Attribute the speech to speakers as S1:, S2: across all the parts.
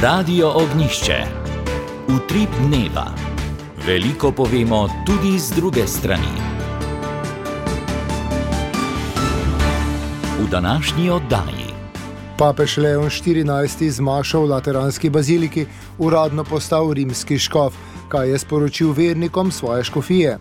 S1: Radio Ognjišče. Utrip dneva. Veliko povemo tudi z druge strani. V današnji oddaji.
S2: Papež Leon XIV z mašo v Lateranski baziliki uradno postal rimski škof, kaj je sporočil vernikom svoje škofije.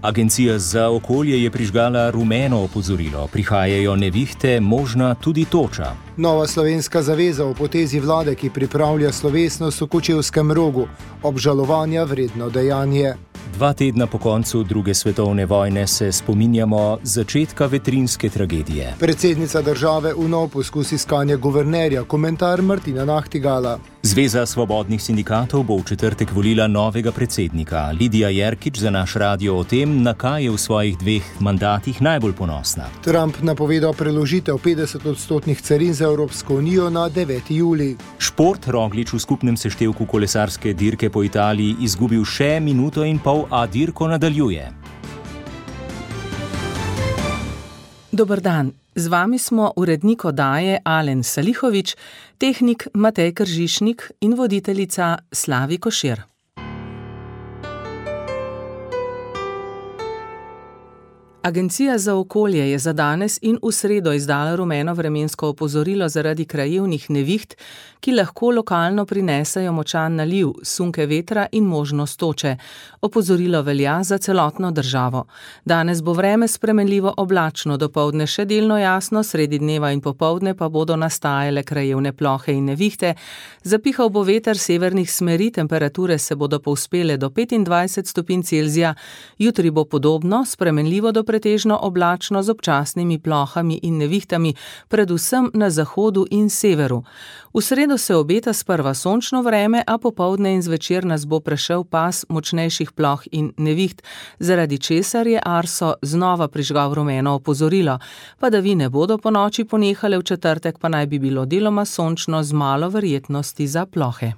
S3: Agencija za okolje je prižgala rumeno opozorilo. Prihajajo nevihte, možna tudi toča.
S2: Nova slovenska zaveza v potezi vlade, ki pripravlja slovesnost v Kočevskem Rogu. Obžalovanja vredno dejanje.
S3: 2 tedna po koncu druge svetovne vojne se spominjamo začetka vetrinjske tragedije.
S2: Predsednica države v nov poskus iskanja guvernerja, komentar Martina Nahtigala.
S3: Zveza svobodnih sindikatov bo v četrtek volila novega predsednika. Lidija Jerkič za naš radio o tem, na kaj je v svojih 2 mandatih najbolj ponosna.
S2: Trump napovedal preložitev 50% carin za Evropsko unijo na 9. julij.
S3: Šport. Roglič v skupnem seštevku kolesarske dirke po Italiji izgubil še minuto in pol, a dirko nadaljuje.
S4: Dober dan. Z vami smo urednik oddaje Alen Salihovič, tehnik Matej Kržišnik in voditeljica Slavi Košir. Agencija za okolje je za danes in v sredo izdala rumeno vremensko opozorilo zaradi krajevnih neviht, ki lahko lokalno prinesejo močan naliv, sunke vetra in možnost toče. Opozorilo velja za celotno državo. Danes bo vreme spremenljivo oblačno, dopoldne še delno jasno, sredi dneva in popoldne pa bodo nastajale krajevne plohe in nevihte. Zapihal bo veter severnih smeri, temperature se bodo povzpele do 25 stopinj Celzija. Jutri bo podobno, spremenljivo do pretežno oblačno z občasnimi plohami in nevihtami, predvsem na zahodu in severu. V sredo se obeta sprva sončno vreme, a popoldne in zvečer nas bo prešel pas močnejših ploh in neviht, zaradi česar je Arso znova prižgal rumeno opozorilo. Padavine bodo po noči ponehale, v četrtek pa naj bi bilo deloma sončno z malo verjetnosti za plohe.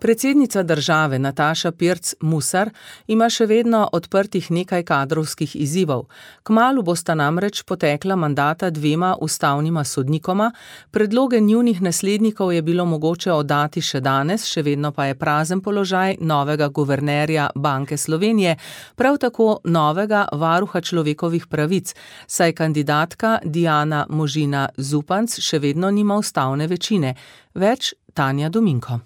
S4: Predsednica države Nataša Pirc Musar ima še vedno odprtih nekaj kadrovskih izzivov. Kmalu bosta namreč potekla mandata 2 ustavnima sodnikoma, predloge njunih naslednikov je bilo mogoče oddati še danes, še vedno pa je prazen položaj novega guvernerja Banke Slovenije, prav tako novega varuha človekovih pravic, saj kandidatka Diana Možina Zupanc še vedno nima ustavne večine. Več Tanja Dominko.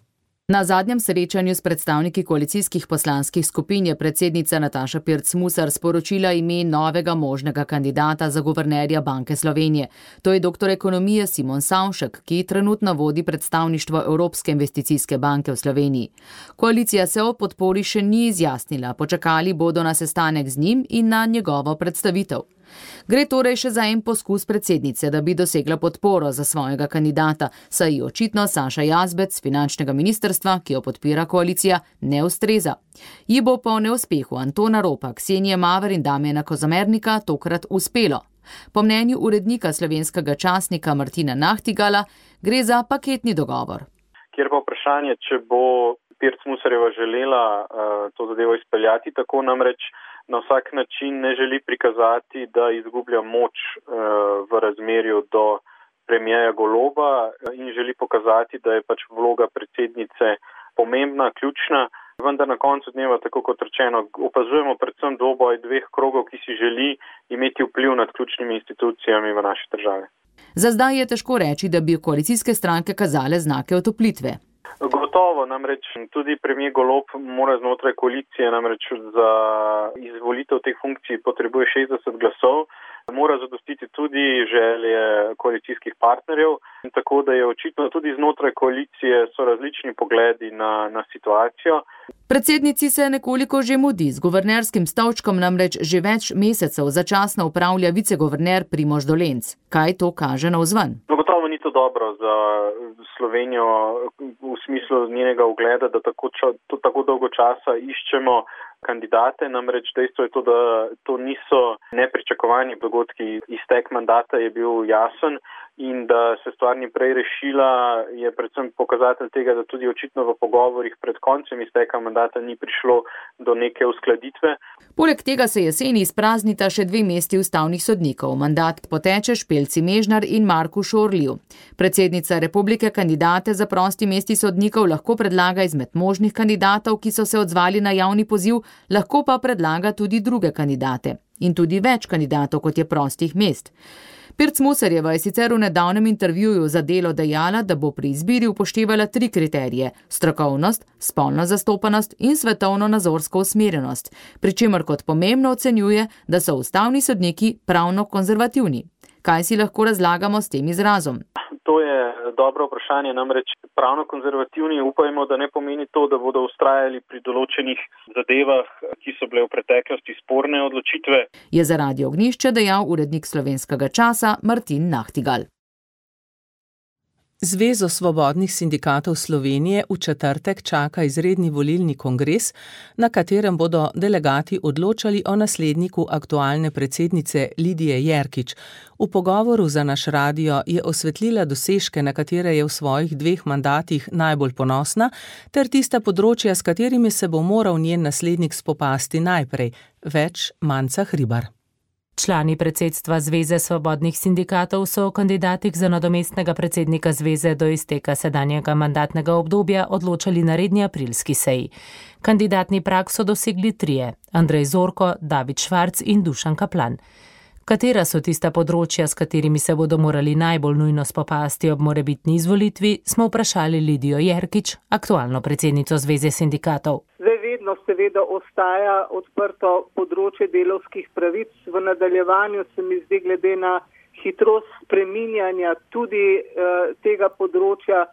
S5: Na zadnjem srečanju s predstavniki koalicijskih poslanskih skupin je predsednica Nataša Pirc Musar sporočila ime novega možnega kandidata za guvernerja Banke Slovenije. To je doktor ekonomije Simon Savšek, ki trenutno vodi predstavništvo Evropske investicijske banke v Sloveniji. Koalicija se o podpori še ni izjasnila, počakali bodo na sestanek z njim in na njegovo predstavitev. Gre torej še za en poskus predsednice, da bi dosegla podporo za svojega kandidata, saj ji očitno Saša Jazbec z finančnega ministrstva, ki jo podpira koalicija, ne ustreza. Ji bo po neuspehu Antona Ropa, Ksenije Maver in Damjana Kozamernika tokrat uspelo. Po mnenju urednika slovenskega časnika Martina Nahtigala gre za paketni dogovor.
S6: Kjer pa vprašanje, če bo Pirc Musarjeva želela to zadevo izpeljati, tako namreč na vsak način ne želi prikazati, da izgublja moč v razmerju do premierja Goloba in želi pokazati, da je pač vloga predsednice pomembna, ključna. Vendar na koncu dneva, tako kot rečeno, opazujemo predvsem dvoboj 2 krogov, ki si želi imeti vpliv nad ključnimi institucijami v naši državi.
S5: Za zdaj je težko reči, da bi koalicijske stranke kazale znake otoplitve.
S6: Gotovo, namreč tudi premier Golob mora znotraj koalicije, namreč za izvolitev teh funkcij potrebuje 60 glasov, mora zadostiti tudi želje koalicijskih partnerjev, in tako da je očitno tudi znotraj koalicije so različni pogledi na situacijo.
S5: Predsednici se nekoliko že mudi, z guvernerskim stolčkom namreč že več mesecev začasno upravlja viceguverner Primož Dolenc. Kaj to kaže navzven?
S6: Gotovo ni to dobro za Slovenijo v smislu njenega ugleda, da tako dolgo časa iščemo kandidate, namreč dejstvo je to, da to niso nepričakovani dogodki. Iztek mandata je bil jasen in da se stvar ni prej rešila, je predvsem pokazatelj tega, da tudi očitno v pogovorih pred koncem izteka mandata ni prišlo do neke uskladitve.
S5: Poleg tega se jeseni izpraznita še 2 mesti ustavnih sodnikov. Mandat poteče Špelci Mežnar in Marku Šorliju. Predsednica republike kandidate za prosti mesti sodnikov lahko predlaga izmed možnih kandidatov, ki so se odzvali na javni poziv, lahko pa predlaga tudi druge kandidate. In tudi več kandidatov, kot je prostih mest. Pirc Musarjeva je sicer v nedavnem intervjuju za Delo dejala, da bo pri izbiri upoštevala 3 kriterije: strokovnost, spolno zastopanost in svetovno-nazorsko usmerjenost, pri čemer kot pomembno ocenjuje, da so ustavni sodniki pravno konzervativni. Kaj si lahko razlagamo s tem izrazom?
S6: To je dobro vprašanje, namreč pravno konzervativni upajmo, da ne pomeni to, da bodo vztrajali pri določenih zadevah, ki so bile v preteklosti sporne odločitve.
S5: Je za Radio Ognjišče dejal urednik Slovenskega časa Martin Nahtigal.
S4: Zvezo svobodnih sindikatov Slovenije v četrtek čaka izredni volilni kongres, na katerem bodo delegati odločali o nasledniku aktualne predsednice Lidije Jerkič. V pogovoru za naš radio je osvetlila dosežke, na katere je v svojih 2 mandatih najbolj ponosna, ter tista področja, s katerimi se bo moral njen naslednik spopasti najprej. Več Manca Hribar.
S7: Člani predsedstva Zveze svobodnih sindikatov so o kandidatih za nadomestnega predsednika zveze do izteka sedanjega mandatnega obdobja odločali na redni aprilski seji. Kandidatni prag so dosegli 3: Andrej Zorko, David Švarc in Dušan Kaplan. Katera so tista področja, s katerimi se bodo morali najbolj nujno spopasti ob morebitni izvolitvi, smo vprašali Lidijo Jerkič, aktualno predsednico Zveze sindikatov.
S8: Vedno seveda ostaja odprto področje delavskih pravic. V nadaljevanju se mi zdi, glede na hitrost spreminjanja tudi tega področja,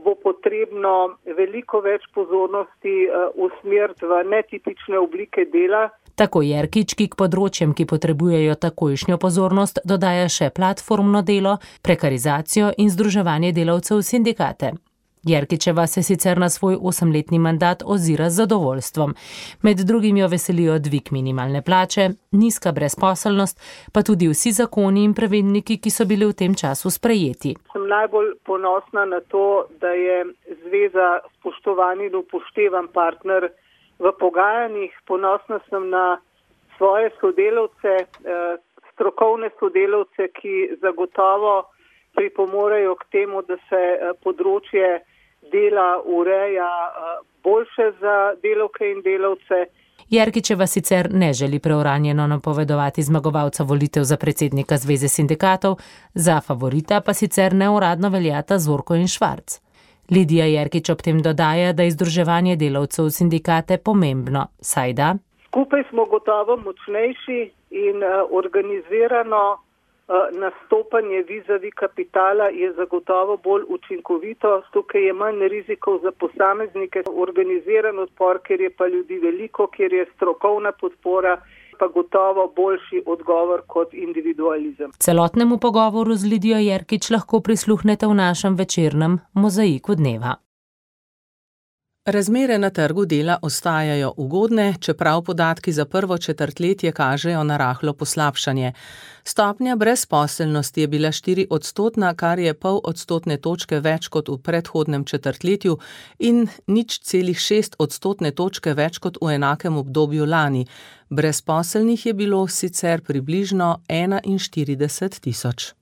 S8: bo potrebno veliko več pozornosti usmeriti v netipične oblike dela.
S7: Tako Jerkič, ki k področjem, ki potrebujejo takojšnjo pozornost, dodaja še platformno delo, prekarizacijo in združevanje delavcev v sindikate. Jerkičeva se sicer na svoj 8-letni mandat ozira z zadovoljstvom. Med drugim jo veselijo dvig minimalne plače, nizka brezposelnost, pa tudi vsi zakoni in pravilniki, ki so bili v tem času sprejeti.
S8: Sem najbolj ponosna na to, da je zveza spoštovan in upoštevan partner v pogajanjih. Ponosna sem na svoje sodelavce, strokovne sodelavce, ki zagotovo pripomorejo k temu, da se področje dela ureja boljše za delavke in delavce.
S7: Jerkičeva sicer ne želi preuranjeno napovedovati zmagovalca volitev za predsednika Zveze sindikatov, za favorita pa sicer neuradno veljata Zorko in Švarc. Lidija Jerkič ob tem dodaja, da je združevanje delavcev v sindikate pomembno, saj da
S8: skupaj smo gotovo močnejši in organizirano nastopanje vizavi kapitala je zagotovo bolj učinkovito, tukaj je manj rizikov za posameznike, organiziran odpor, ker je pa ljudi veliko, ker je strokovna podpora, pa gotovo boljši odgovor kot individualizem.
S7: Celotnemu pogovoru z Lidijo Jerkič lahko prisluhnete v našem večernem Mozaiku dneva.
S4: Razmere na trgu dela ostajajo ugodne, čeprav podatki za prvo četrtletje kažejo na rahlo poslabšanje. Stopnja brezposelnosti je bila 4%, kar je 0,5 odstotne točke več kot v predhodnem četrtletju in 0,6 odstotne točke več kot v enakem obdobju lani. Brezposelnih je bilo sicer približno 41 tisoč.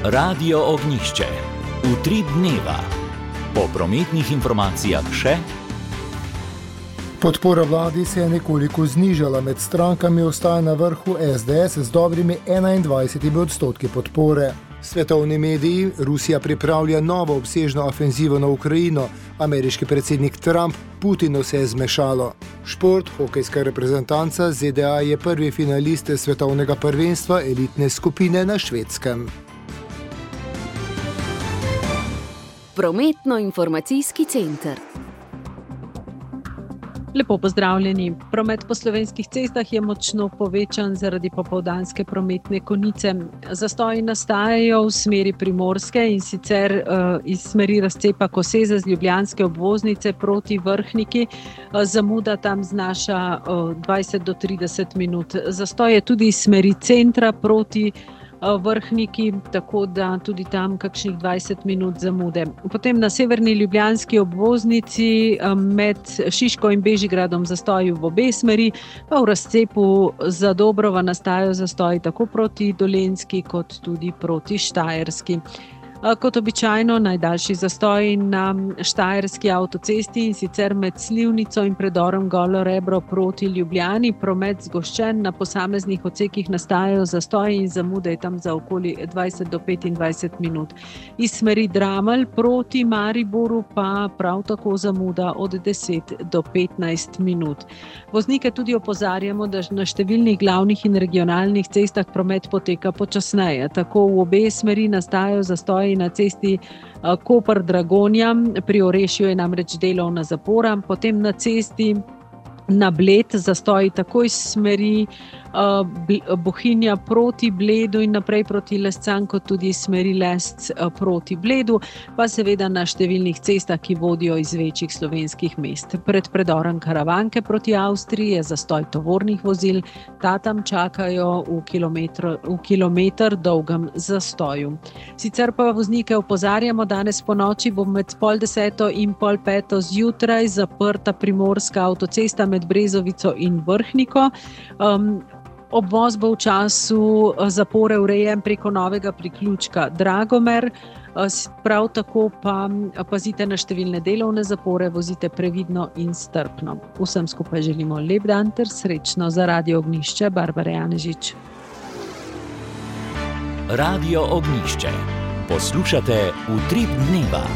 S1: Radio Ognjišče. Utrip dneva. Po prometnih informacijah še.
S2: Podpora vladi se je nekoliko znižala, med strankami ostaja na vrhu SDS z dobrimi 21% podpore. Svetovni mediji: Rusija pripravlja novo obsežno ofenzivo na Ukrajino, ameriški predsednik Trump Putinu se je zmešalo. Šport, hokejska reprezentanca ZDA je prvi finalist svetovnega prvenstva elitne skupine na Švedskem.
S9: Prometno-informacijski center. Lepo pozdravljeni. Promet po slovenskih cestah je močno povečan zaradi popoldanske prometne konice. Zastoji nastajajo v smeri Primorske in sicer iz smeri razcepa Koseze z ljubljanske obvoznice proti Vrhniki. Zamuda tam znaša 20 do 30 minut. Zastoj je tudi iz smeri centra proti Vrhniki, tako da tudi tam kakšnih 20 minut zamude. Potem na severni ljubljanski obvoznici med Šiško in Bežigradom zastoji v obe smeri, pa v razcepu za Dobrova nastajajo zastoji tako proti Dolenjski kot tudi proti Štajerski. Kot običajno najdaljši zastoj na štajerski avtocesti in sicer med Slivnico in predorom Golo Rebro proti Ljubljani. Promet zgoščen, na posameznih odsekih nastajajo zastoji in zamude je tam za okoli 20 do 25 minut. Iz smeri Dramelj proti Mariboru pa prav tako zamuda od 10 do 15 minut. Voznike tudi opozarjamo, da na številnih glavnih in regionalnih cestah promet poteka počasneje. Tako v obe smeri nastajajo zastoji na cesti Koper-Dragonja, pri Orešju je namreč delovna zapora, potem na cesti na Bled zastoji tako iz smeri Bohinja proti Bledu in naprej proti Lescam, kot tudi iz smeri Lesc proti Bledu, pa seveda na številnih cestah, ki vodijo iz večjih slovenskih mest. Pred predorom Karavanke proti Avstriji je zastoj tovornih vozil, ta tam čakajo v kilometer dolgem zastoju. Sicer pa voznike opozarjamo, danes po noči bo med 4:30 in 4:30 zjutraj zaprta primorska avtocesta med Brezovico in Vrhniko. Obvoz bo v času zapore urejen preko novega priključka Dragomer, prav tako pa pazite na številne delovne zapore, vozite previdno in strpno. Vsem skupaj želimo lep dan ter srečno. Za Radio Ognjišče, Barbara Janežič.
S1: Radio Ognjišče. Poslušate Utrip dneva.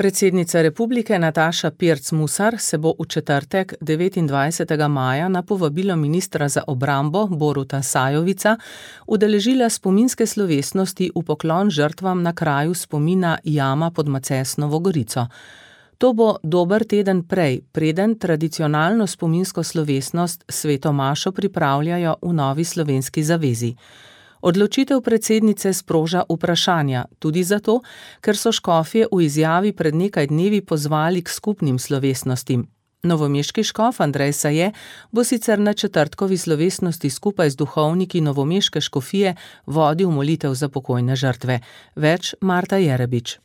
S4: Predsednica republike Nataša Pirc Musar se bo v četrtek 29. maja na povabilo ministra za obrambo Boruta Sajovica udeležila spominske slovesnosti v poklon žrtvam na kraju spomina Jama pod Macesnovo Gorico. To bo dober teden prej, preden tradicionalno spominsko slovesnost Sveto mašo pripravljajo v Novi slovenski zavezi. Odločitev predsednice sproža vprašanja, tudi zato, ker so škofje v izjavi pred nekaj dnevi pozvali k skupnim slovesnostim. Novomeški škof Andrej Saje bo sicer na četrtkovi slovesnosti skupaj z duhovniki novomeške škofije vodil molitev za pokojne žrtve. Več Marta Jerebič.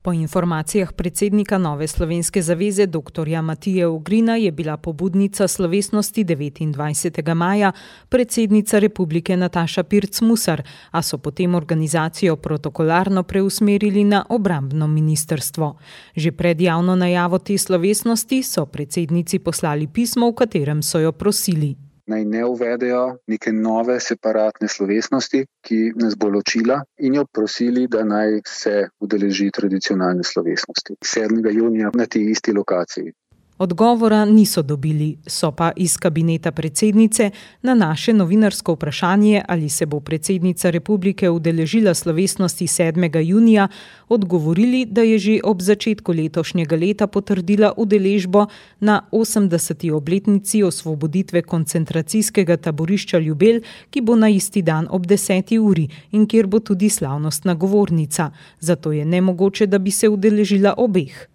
S10: Po informacijah predsednika Nove slovenske zaveze dr. Matije Ogrina je bila pobudnica slovesnosti 29. maja predsednica republike Nataša Pirc Musar, a so potem organizacijo protokolarno preusmerili na obrambno ministrstvo. Že pred javno najavo te slovesnosti so predsednici poslali pismo, v katerem so jo prosili.
S11: Naj ne uvedejo neke nove separatne slovesnosti, ki nas bo ločila, in jo prosili, da naj se udeleži tradicionalne slovesnosti 7. junija na tej isti lokaciji.
S10: Odgovora niso dobili, so pa iz kabineta predsednice na naše novinarsko vprašanje, ali se bo predsednica republike udeležila slovesnosti 7. junija, odgovorili, da je že ob začetku letošnjega leta potrdila udeležbo na 80. obletnici osvoboditve koncentracijskega taborišča Ljubelj, ki bo na isti dan ob 10. uri in kjer bo tudi slavnostna govornica. Zato je nemogoče, da bi se udeležila obeh.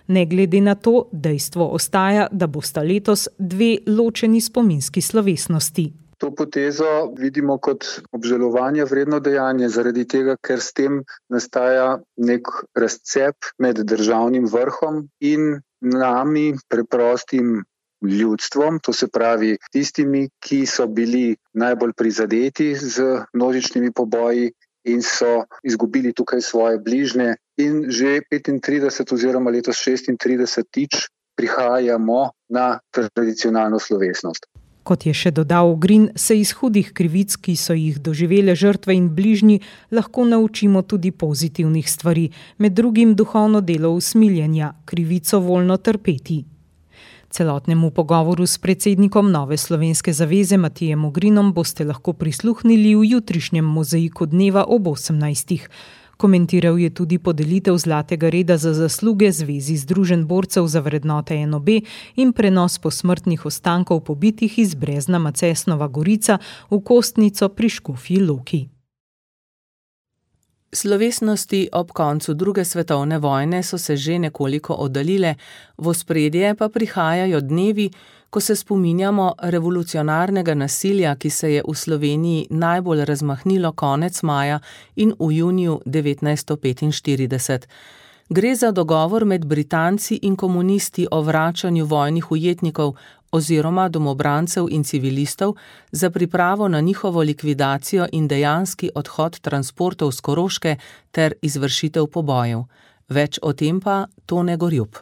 S10: Ne glede na to, dejstvo ostaja, da bosta letos dve ločeni spominski slovesnosti.
S11: To potezo vidimo kot obžalovanje vredno dejanje, zaradi tega, ker s tem nastaja nek razcep med državnim vrhom in nami, preprostim ljudstvom, to se pravi tistimi, ki so bili najbolj prizadeti z množičnimi poboji in so izgubili tukaj svoje bližnje. In že 35 oziroma letos 36 prihajamo na tradicionalno slovesnost.
S10: Kot je še dodal Ogrin, se iz hudih krivic, ki so jih doživele žrtve in bližnji, lahko naučimo tudi pozitivnih stvari, med drugim duhovno delo usmiljenja, krivico voljno trpeti. Celotnemu pogovoru s predsednikom Nove slovenske zaveze Matijem Ogrinom boste lahko prisluhnili v jutrišnjem mozaiku dneva ob 18. Komentiral je tudi podelitev Zlatega reda za zasluge Zvezi Združenj borcev za vrednote NOB in prenos posmrtnih ostankov pobitih iz Brezna Macesnova Gorica v Kostnico pri Škofji Loki.
S4: Slovesnosti ob koncu druge svetovne vojne so se že nekoliko oddaljile, v ospredje pa prihajajo dnevi, ko se spominjamo revolucionarnega nasilja, ki se je v Sloveniji najbolj razmahnilo konec maja in v juniju 1945. Gre za dogovor med Britanci in komunisti o vračanju vojnih ujetnikov oziroma domobrancev in civilistov za pripravo na njihovo likvidacijo in dejanski odhod transportov s Koroške ter izvršitev pobojev. Več o tem pa Tone Gorjup.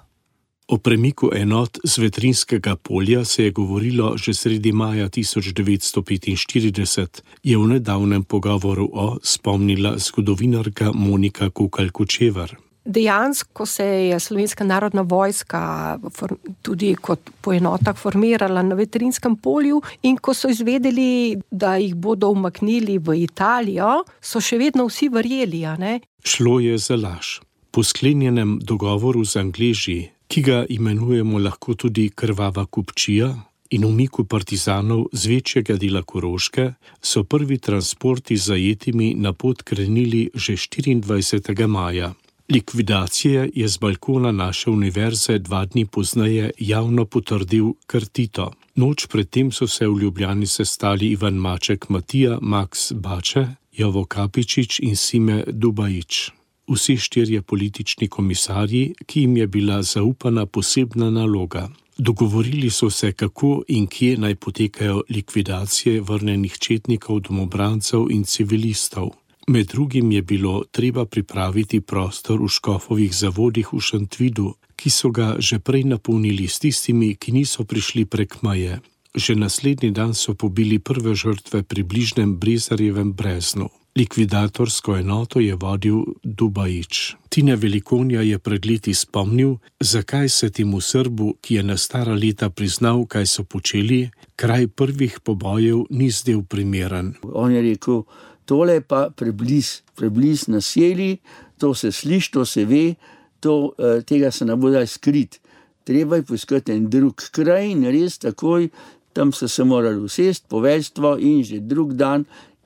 S12: O premiku enot z Vetrinskega polja se je govorilo že sredi maja 1945, je v nedavnem pogovoru spomnila zgodovinarka Monika Kukal-Kočevar.
S13: Dejansko se je Slovenska narodna vojska tudi kot po enotah formirala na Vetrinskem polju in ko so izvedeli, da jih bodo umaknili v Italijo, so še vedno vsi verjeli, a ne?
S12: Šlo je za laž. Po sklenjenem dogovoru z Angleži, ki ga imenujemo lahko tudi krvava kupčija, in umiku partizanov z večjega dela Koroške, so prvi transporti z zajetimi na pot krenili že 24. maja. Likvidacije je z balkona naše univerze 2 dni pozneje javno potrdil kar Tito. Noč predtem so se v Ljubljani sestali Ivan Maček Matija, Max Bače, Jovo Kapičič in Sime Dubajič. Vsi 4 politični komisarji, ki jim je bila zaupana posebna naloga. Dogovorili so se, kako in kje naj potekajo likvidacije vrnenih četnikov, domobrancev in civilistov. Med drugim je bilo treba pripraviti prostor v Škofovih zavodih v Šentvidu, ki so ga že prej napolnili s tistimi, ki niso prišli prek meje. Že naslednji dan so pobili prve žrtve pri bližnjem Brezarjevem Breznu. Likvidatorsko enoto je vodil Dubajič. Tine Velikonja je pred leti spomnil, zakaj se temu Srbu, ki je na stara leta priznal, kaj so počeli, kraj prvih pobojev ni zdel primeren.
S14: On je rekel, tole pa prebliz naselji, to se sliši, to se ve, tega se ne bo daj skrit. Treba je poiskati en drug kraj in res takoj, tam so se morali usesti, poveljstvo in že drug dan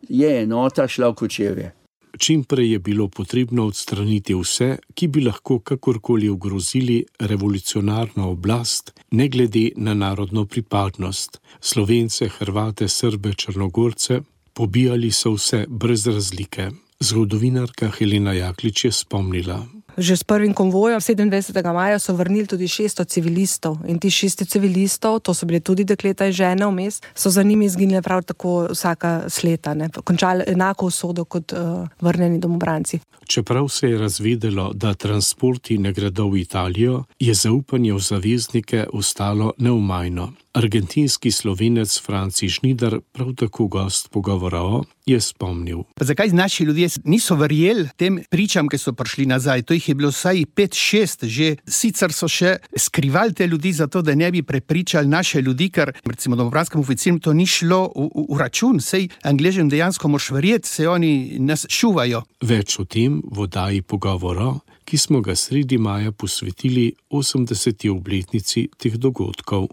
S14: je enota šla v Kočevje.
S12: Čim prej je bilo potrebno odstraniti vse, ki bi lahko kakorkoli ogrozili revolucionarno oblast, ne glede na narodno pripadnost. Slovence, Hrvate, Srbe, Črnogorce, pobijali so vse brez razlike. Zgodovinarka Helena Jaklič je spomnila.
S13: Že s prvim konvojem 27. maja so vrnili tudi 600 civilistov in ti 600 civilistov, to so bile tudi dekleta in žene vmes, so za njimi izginile prav tako vsaka sleta, ne, končali enako usodo kot vrnjeni domobranci.
S12: Čeprav se je razvedelo, da transporti ne gredo v Italijo, je zaupanje v zaveznike ostalo neumajno. Argentinski Slovenec Franci Žnidar, prav tako gost pogovora je spomnil.
S15: Zakaj naši ljudje niso verjeli tem pričam, ki so prišli nazaj? To jih je bilo vsaj 5-6 že. Sicer so še skrivali te ljudi zato, da ne bi prepričali naše ljudi, ker recimo domobranskim oficirjem to ni šlo v račun. Sej Angležem dejansko moš verjeti, se oni nas šuvajo.
S12: Več o tem v oddaji pogovora, ki smo ga sredi maja posvetili 80. obletnici teh dogodkov.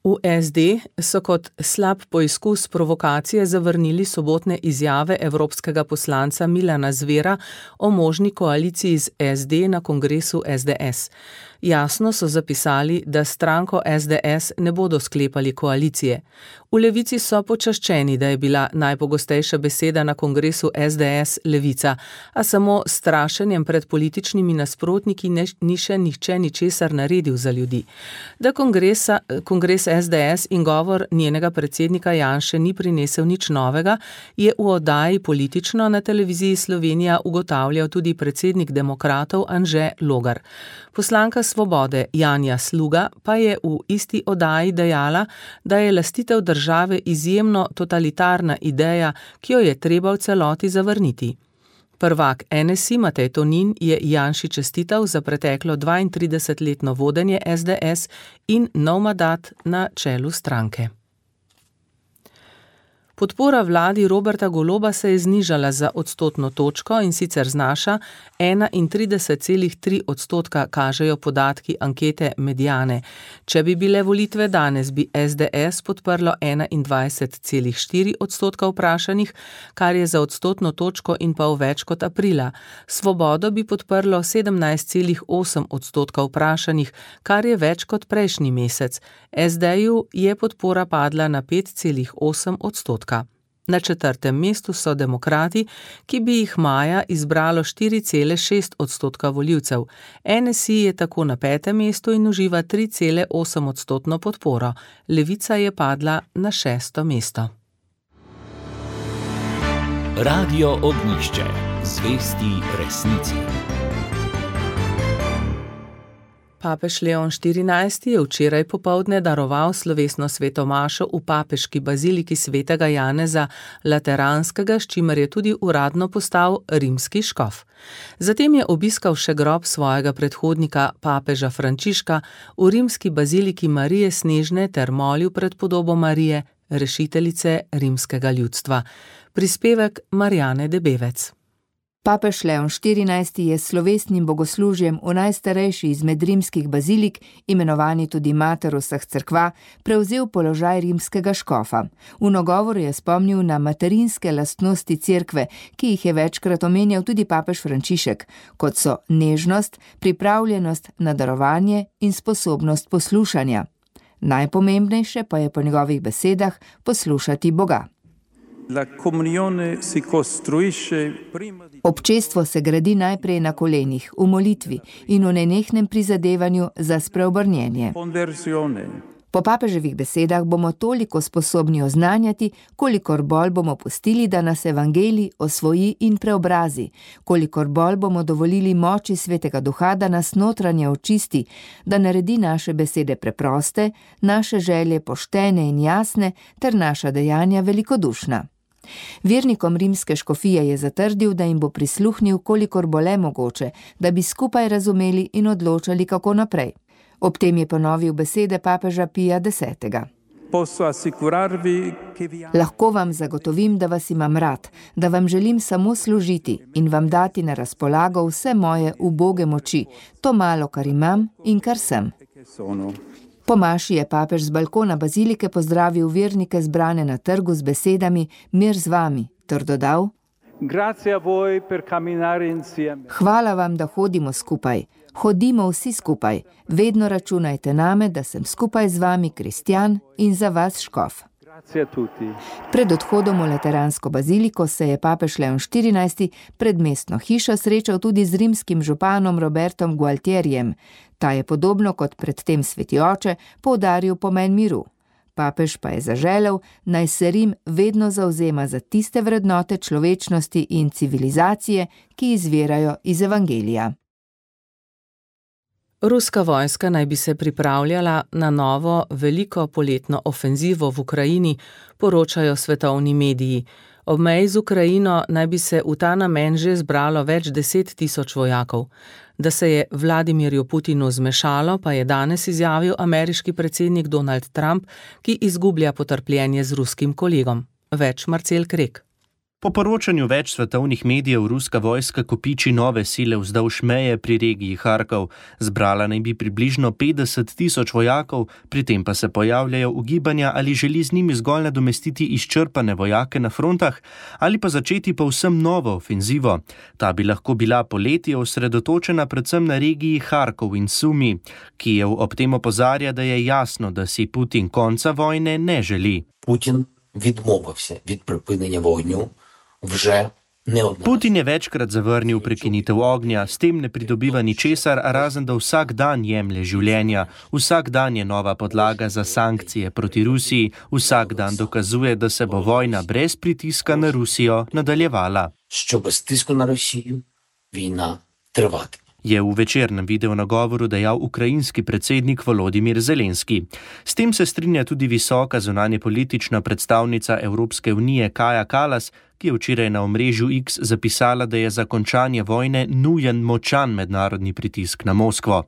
S4: V SD so kot slab poizkus provokacije zavrnili sobotne izjave evropskega poslanca Milana Zvera o možni koaliciji z SD na kongresu SDS. Jasno so zapisali, da s stranko SDS ne bodo sklepali koalicije. V Levici so počaščeni, da je bila najpogostejša beseda na kongresu SDS levica, a samo s strašenjem pred političnimi nasprotniki ni še nihče ničesar naredil za ljudi. Da kongres SDS in govor njenega predsednika Janše ni prinesel nič novega, je v oddaji Politično na televiziji Slovenija ugotavljal tudi predsednik demokratov Anže Logar. Poslanka Svobode Janja Sluga pa je v isti oddaji dejala, da je lastitev države izjemno totalitarna ideja, ki jo je treba v celoti zavrniti. Prvak NSI Matej Tonin je Janši čestital za preteklo 32-letno vodenje SDS in nov mandat na čelu stranke. Podpora vladi Roberta Goloba se je znižala za odstotno točko in sicer znaša 31,3%, kažejo podatki ankete Mediane. Če bi bile volitve danes, bi SDS podprlo 21,4% vprašanih, kar je za odstotno točko in pol več kot aprila. Svobodo bi podprlo 17,8% vprašanih, kar je več kot prejšnji mesec. SD-ju je podpora padla na 5,8%. Na 4. mestu so demokrati, ki bi jih maja izbralo 4,6% volivcev. NSI je tako na 5. mestu in uživa 3,8% podporo. Levica je padla na 6. mesto.
S1: Radio Ognjišče. Zvesti resnici.
S4: Papež Leon XIV je včeraj popoldne daroval slovesno svetomašo v papeški baziliki svetega Janeza Lateranskega, s čimer je tudi uradno postal rimski škof. Zatem je obiskal še grob svojega predhodnika, papeža Frančiška, v rimski baziliki Marije Snežne ter molil pred podobo Marije, rešiteljice rimskega ljudstva. Prispevek Marjane Debevec.
S16: Papež Leon XIV je s slovesnim bogoslužjem v najstarejši izmed rimskih bazilik, imenovani tudi mater vseh cerkva, prevzel položaj rimskega škofa. V nagovoru je spomnil na materinske lastnosti cerkve, ki jih je večkrat omenjal tudi papež Frančišek, kot so nežnost, pripravljenost na darovanje in sposobnost poslušanja. Najpomembnejše pa je po njegovih besedah poslušati Boga. Občestvo se gradi najprej na kolenih, v molitvi in v nenehnem prizadevanju za spreobrnjenje. Po papeževih besedah bomo toliko sposobni oznanjati, kolikor bolj bomo pustili, da nas evangelij osvoji in preobrazi, kolikor bolj bomo dovolili moči Svetega Duha, da nas notranje očisti, da naredi naše besede preproste, naše želje poštene in jasne ter naša dejanja velikodušna. Vernikom rimske škofije je zatrdil, da jim bo prisluhnil, kolikor bo le mogoče, da bi skupaj razumeli in odločali, kako naprej. Ob tem je ponovil besede papeža Pija X. Lahko vam zagotovim, da vas imam rad, da vam želim samo služiti in vam dati na razpolago vse moje uboge moči, to malo, kar imam in kar sem. Po maši je papež z balkona bazilike pozdravil vernike zbrane na trgu z besedami mir z vami, ter dodal: Hvala vam, da hodimo skupaj. Hodimo vsi skupaj. Vedno računajte name, da sem skupaj z vami kristjan in za vas škof. Pred odhodom v Lateransko baziliko se je papež Leon XIV pred mestno hišo srečal tudi z rimskim županom Robertom Gualtierjem. Ta je podobno kot predtem sveti oče poudaril pomen miru. Papež pa je zaželel, naj se Rim vedno zavzema za tiste vrednote človečnosti in civilizacije, ki izvirajo iz evangelija.
S4: Ruska vojska naj bi se pripravljala na novo veliko poletno ofenzivo v Ukrajini, poročajo svetovni mediji. Ob meji z Ukrajino naj bi se v ta namen že zbralo več 10.000 vojakov. Da se je Vladimirju Putinu zmešalo, pa je danes izjavil ameriški predsednik Donald Trump, ki izgublja potrpljenje z ruskim kolegom. Več Marcel Krek.
S17: Po poročanju več svetovnih medijev ruska vojska kopiči nove sile vzdolž meje pri regiji Harkov. Zbrala naj bi približno 50.000 vojakov, pri tem pa se pojavljajo ugibanja, ali želi z njimi zgolj nadomestiti izčrpane vojake na frontah ali pa začeti povsem novo ofenzivo. Ta bi lahko bila poleti osredotočena predvsem na regiji Harkov in Sumi. Kijev ob tem opozarja, da je jasno, da si Putin konca vojne ne želi.
S18: Putin відмовився від припинення вогню. Putin
S17: je večkrat zavrnil prekinitev ognja, s tem ne pridobiva ničesar, razen da vsak dan jemlje življenja. Vsak dan je nova podlaga za sankcije proti Rusiji, vsak dan dokazuje, da se bo vojna brez pritiska na Rusijo nadaljevala.
S18: Що без тиску на Росію війна триватиме.
S17: Je v večernem videonagovoru dejal ukrajinski predsednik Volodymyr Zelenski. S tem se strinja tudi visoka zunanjepolitična predstavnica Evropske unije Kaja Kallas, ki je včeraj na omrežju X zapisala, da je za končanje vojne nujen močan mednarodni pritisk na Moskvo.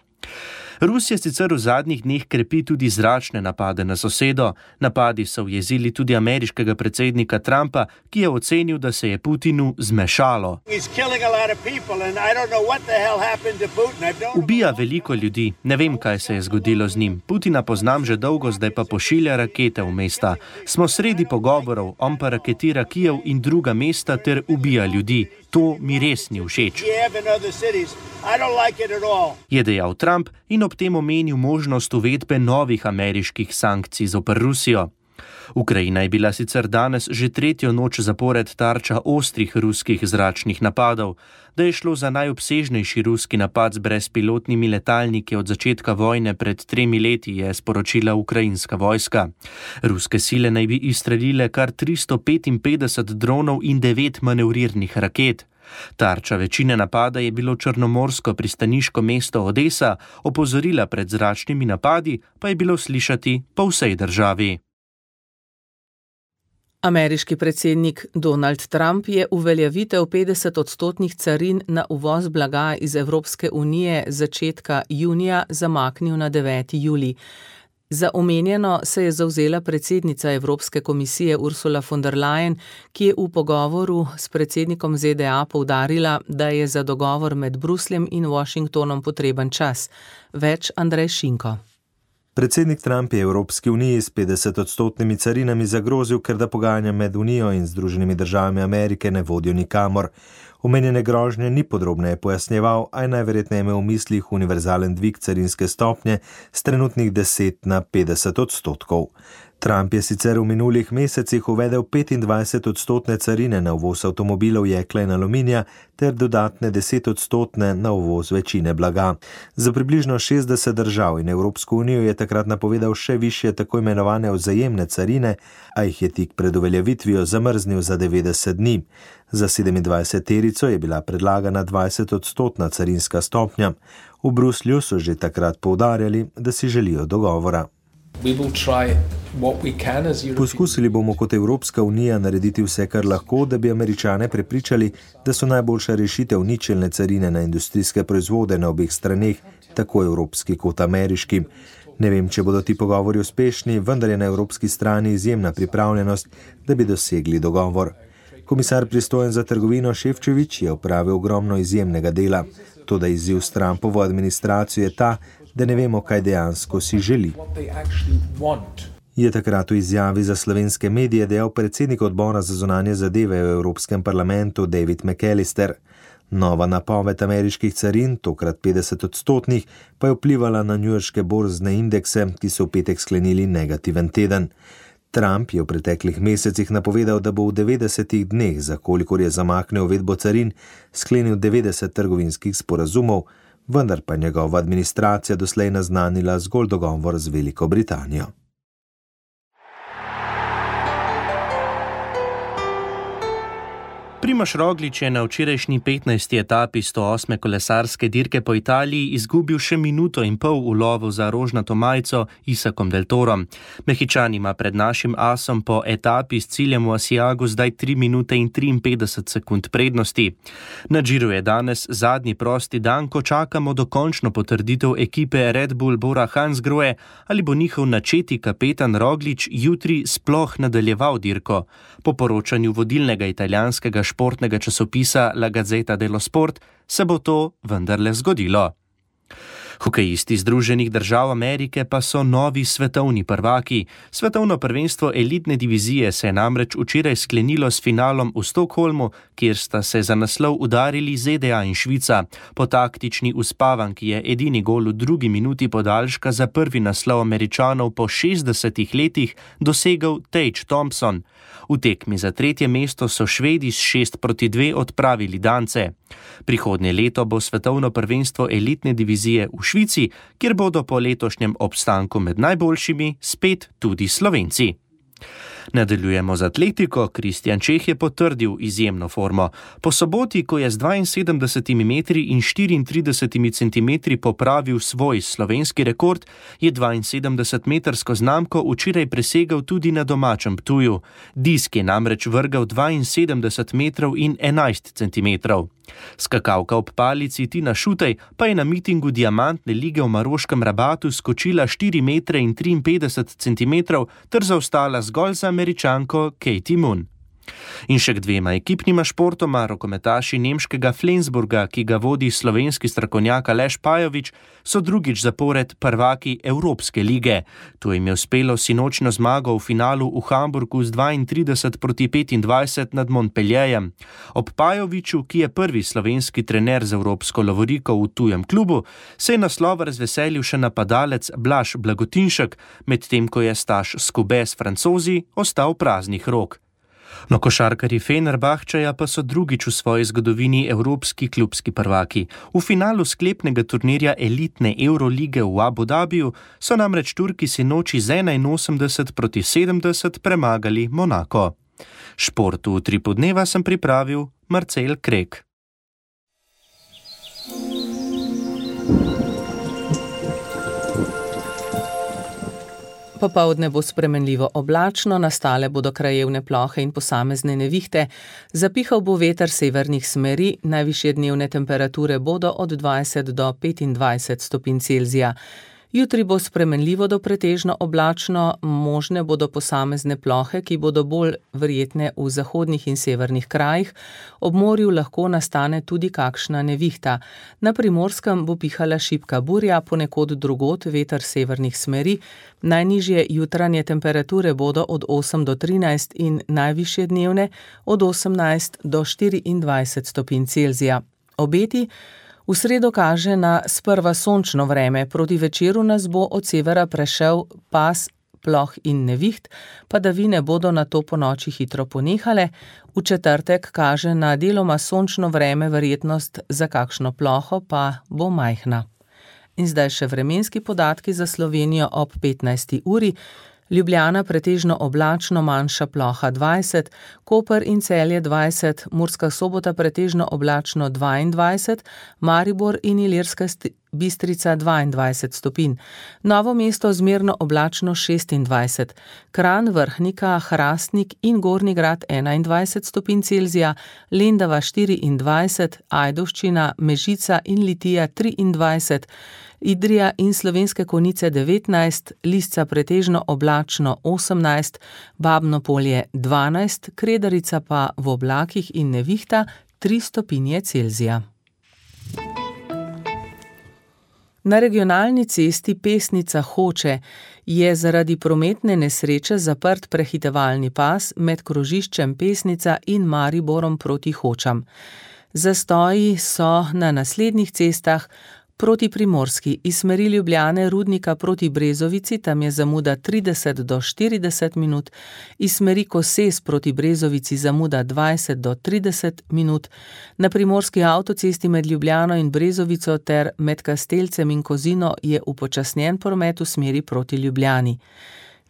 S17: Rusija sicer v zadnjih dneh krepi tudi zračne napade na sosedo. Napadi so ujezili tudi ameriškega predsednika Trumpa, ki je ocenil, da se je Putinu zmešalo. Ubija veliko ljudi. Ne vem, kaj se je zgodilo z njim. Putina poznam že dolgo, zdaj pa pošilja rakete v mesta. Smo sredi pogovorov, on pa raketira Kijev in druga mesta ter ubija ljudi. To mi res ni všeč. Je dejal Trump in ob tem omenil možnost uvedbe novih ameriških sankcij zoper Rusijo. Ukrajina je bila sicer danes že tretjo noč zapored tarča ostrih ruskih zračnih napadov. Da je šlo za najobsežnejši ruski napad z brezpilotnimi letalniki od začetka vojne pred 3 leti, je sporočila ukrajinska vojska. Ruske sile naj bi izstrelile kar 355 dronov in 9 manevrirnih raket. Tarča večine napada je bilo črnomorsko pristaniško mesto Odesa, opozorila pred zračnimi napadi pa je bilo slišati po vsej državi.
S4: Ameriški predsednik Donald Trump je uveljavitev 50% carin na uvoz blaga iz Evropske unije začetka junija zamaknil na 9. julij. Za omenjeno se je zavzela predsednica Evropske komisije Ursula von der Leyen, ki je v pogovoru s predsednikom ZDA poudarila, da je za dogovor med Brusljem in Washingtonom potreben čas. Več Andrej Šinko.
S19: Predsednik Trump je Evropski uniji s 50% carinami zagrozil, ker da pogajanja med Unijo in Združenimi državami Amerike ne vodijo nikamor. Omenjene grožnje ni podrobneje pojasnjeval, a je najverjetneje imel v mislih univerzalen dvig carinske stopnje s trenutnih 10 na 50%. Trump je sicer v minulih mesecih uvedel 25% carine na uvoz avtomobilov, jekla in aluminija ter dodatne 10% na uvoz večine blaga. Za približno 60 držav in Evropsko unijo je takrat napovedal še višje tako imenovane vzajemne carine, a jih je tik pred uveljavitvijo zamrznil za 90 dni. Za 27-terico je bila predlagana 20% carinska stopnja. V Bruslju so že takrat poudarjali, da si želijo dogovora. Poskusili bomo kot Evropska unija narediti vse, kar lahko, da bi Američane prepričali, da so najboljša rešitev ničelne carine na industrijske proizvode na obeh straneh, tako evropski kot ameriški. Ne vem, če bodo ti pogovori uspešni, vendar je na evropski strani izjemna pripravljenost, da bi dosegli dogovor. Komisar pristojen za trgovino Šefčovič je opravil ogromno izjemnega dela. Toda izziv s Trumpovo administracijo je ta, da ne vemo, kaj dejansko si želi. Je takrat v izjavi za slovenske medije dejal predsednik odbora za zunanje zadeve v Evropskem parlamentu David McAllister. Nova napoved ameriških carin, tokrat 50%, pa je vplivala na njujorške borzne indekse, ki so v petek sklenili negativen teden. Trump je v preteklih mesecih napovedal, da bo v 90 dneh, za kolikor je zamaknil uvedbo carin, sklenil 90 trgovinskih sporazumov, vendar pa njegova administracija doslej naznanila zgolj dogovor z Veliko Britanijo.
S17: Primož Roglič je na včerajšnji 15. etapi 108. kolesarske dirke po Italiji izgubil še minuto in pol v lovu za rožnato majico Isakom Del Torom. Mehičan ima pred našim asom po etapi s ciljem v Asiagu zdaj 3 minute in 53 sekund prednosti. Na Giru je danes zadnji prosti dan, ko čakamo dokončno potrditev ekipe Red Bull Bora Hansgrohe, ali bo njihov načeti kapetan Roglič jutri sploh nadaljeval dirko. Po poročanju vodilnega italijanskega športnega časopisa La Gazzetta dello Sport se bo to vendarle zgodilo. Hokejisti Združenih držav Amerike pa so novi svetovni prvaki. Svetovno prvenstvo elitne divizije se je namreč včeraj sklenilo s finalom v Stockholmu, kjer sta se za naslov udarili ZDA in Švica. Po taktični uspavanki je edini gol v 2. minuti podaljška za prvi naslov Američanov po 60 letih dosegel Tage Thompson. V tekmi za 3. mesto so Švedi s 6-2 odpravili Dance. Prihodnje leto bo svetovno prvenstvo elitne divizije v Švici, kjer bodo po letošnjem obstanku med najboljšimi spet tudi Slovenci. Nadaljujemo z atletiko. Kristjan Čeh je potrdil izjemno formo. Po soboti, ko je z 72 metri in 34 centimetri popravil svoj slovenski rekord, je 72-metrsko znamko včeraj presegel tudi na domačem Ptuju. Disk je namreč vrgal 72 metrov in 11 centimetrov. Skakalka ob palici Tina Šutej pa je na mitingu Diamantne lige v Maroškem Rabatu skočila 4,53 m ter zaostala zgolj za Američanko Katie Moon. In še k dvema ekipnima športoma, rokometaši nemškega Flensburga, ki ga vodi slovenski strokovnjak Aleš Pajovič, so drugič zapored prvaki Evropske lige. To jim je uspelo sinočnjo zmago v finalu v Hamburgu z 32-25 nad Montpellierjem. Ob Pajoviču, ki je prvi slovenski trener z evropsko lovoriko v tujem klubu, se je naslova razveselil še napadalec Blaž Blagotinšek, medtem ko je Staš Skube s Francozi ostal praznih rok. No, košarkarji Fenerbahčeja pa so drugič v svoji zgodovini evropski klubski prvaki. V finalu sklepnega turnirja elitne Eurolige v Abu Dhabiju so namreč Turki sinoči z 81-70 premagali Monako. Športu v Utripu dneva sem pripravil Marcel Krek.
S4: Popoldne bo spremenljivo oblačno, nastale bodo krajevne plohe in posamezne nevihte, zapihal bo veter severnih smeri, najvišje dnevne temperature bodo od 20 do 25 stopinj Celzija. Jutri bo spremenljivo do pretežno oblačno, možne bodo posamezne plohe, ki bodo bolj verjetne v zahodnih in severnih krajih, ob morju lahko nastane tudi kakšna nevihta. Na Primorskem bo pihala šibka burja, ponekod drugod veter severnih smeri, najnižje jutranje temperature bodo od 8 do 13 in najvišje dnevne od 18 do 24 stopinj Celzija. Obeti v sredo kaže na sprva sončno vreme, proti večeru nas bo od severa prešel pas ploh in neviht, padavine bodo nato ponoči hitro ponehale, v četrtek kaže na deloma sončno vreme, verjetnost za kakšno ploho pa bo majhna. In zdaj še vremenski podatki za Slovenijo ob 15. uri. Ljubljana pretežno oblačno, manjša ploha 20, Koper in Celje 20, Murska Sobota pretežno oblačno 22, Maribor in Ilirska Bistrica 22 stopinj, Novo mesto zmerno oblačno 26, Kranj, Vrhnika, Hrastnik in Gornji Grad 21 stopinj Celzija, Lendava 24, Ajdovščina, Mežica in Litija 23, Idrija in Slovenske Konjice 19, Lisca pretežno oblačno 18, Babno Polje 12, Kredarica pa v oblakih in nevihta 3 stopinje Celzija. Na regionalni cesti Pesnica-Hoče je zaradi prometne nesreče zaprt prehitevalni pas med krožiščem Pesnica in Mariborom proti Hočam. Zastoji so na naslednjih cestah: proti Primorski, iz smeri Ljubljane Rudnika proti Brezovici, tam je zamuda 30 do 40 minut, iz smeri Koses proti Brezovici zamuda 20 do 30 minut, na primorski avtocesti med Ljubljano in Brezovico ter med Kastelcem in Kozino je upočasnjen promet v smeri proti Ljubljani.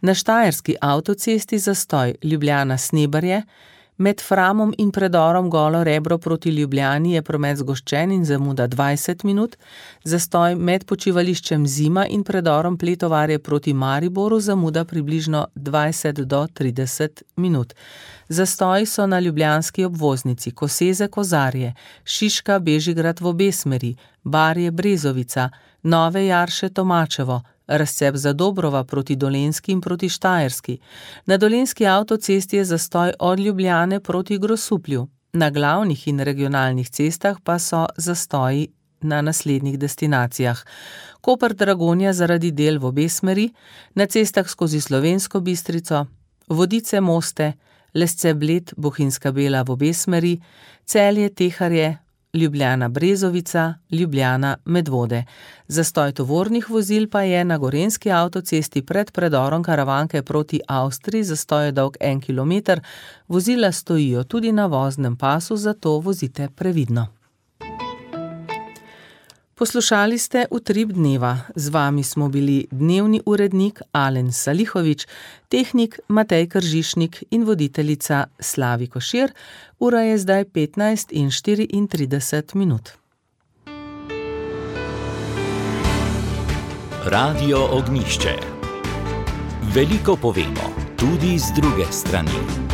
S4: Na štajerski avtocesti zastoj Ljubljana-Snebarje, med Framom in predorom Golo Rebro proti Ljubljani je promet zgoščen in zamuda 20 minut, zastoj med počivališčem Zima in predorom Pletovarje proti Mariboru zamuda približno 20 do 30 minut. Zastoji so na ljubljanski obvoznici Koseze-Kozarje, Šiška-Bežigrad v obe smeri, Barje-Brezovica, Nove Jarše-Tomačevo, razcep za Dobrova proti Dolenjski in proti Štajerski. Na dolenjski avtocesti je zastoj od Ljubljane proti Grosuplju. Na glavnih in regionalnih cestah pa so zastoji na naslednjih destinacijah: Koper-Dragonja zaradi del v obe smeri, na cestah skozi Slovensko Bistrico, Vodice-Moste, Lesce-Bled, Bohinjska Bela v obe smeri, Celje-Teharje, Ljubljana-Brezovica, Ljubljana-Medvode. Zastoj tovornih vozil pa je na gorenjski avtocesti pred predorom Karavanke proti Avstriji, zastoj je dolg 1 kilometer, vozila stojijo tudi na voznem pasu, zato vozite previdno. Poslušali ste Utrip dneva. Z vami smo bili dnevni urednik Alen Salihovič, tehnik Matej Kržišnik in voditeljica Slavi Košir. Ura je zdaj 15:34 minut.
S1: Radio Ognjišče. Veliko povemo, tudi z druge strani.